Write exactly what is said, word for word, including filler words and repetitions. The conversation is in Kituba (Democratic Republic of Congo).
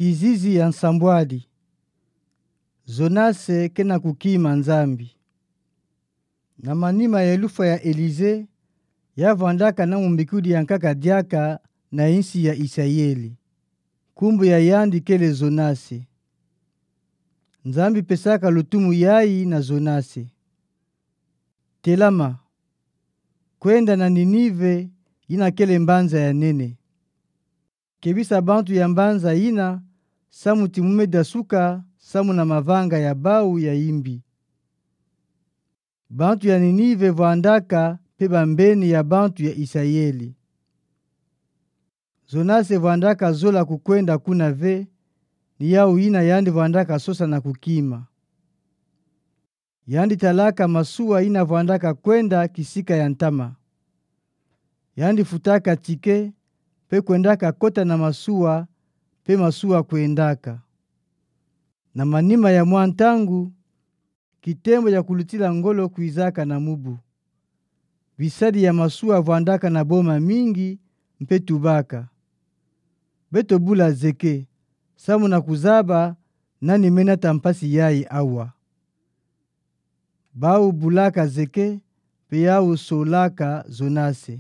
Kizizi ya nsambwadi. Zonase ke na kukima Nzambi. Na manima ya lufwa ya Elize, ya vwandaka na mumbikudi ya nkaka diaka na insi ya Isayeli. Nkumbu ya yandi kele Zonase. Nzambi pesaka lutumu yayi na Zonase: Telama, kwenda na Ninive, yina kele mbanza ya nene. Kebisa bantu ya mbanza yina, samu ti mu me dasuka samu na mavanga ya bawu ya yimbi. Bantu ya Ninive vwandaka mpe bambeni ya bantu ya Isayeli. Zonase vwandaka zola kukwenda kuna ve, ni yawu yina yandi vwandaka sosa na kukima. Yandi talaka masuwa yina vwandaka kwenda kisika ya ntama. Yandi futaka tike, mpe kwendaka kota na masuwa, mpe masuwa kwendaka. Na manima ya mwa ntangu, kitembo ya kulutila ngolo kwizaka na mubu. Bisadi ya masuwa vwandaka na boma mingi, mpe tubaka: Beto bula zeke, samu na kuzaba nani me nata mpasi yayi awa. Bawu bulaka zeke, mpe yawu solaka Zonase.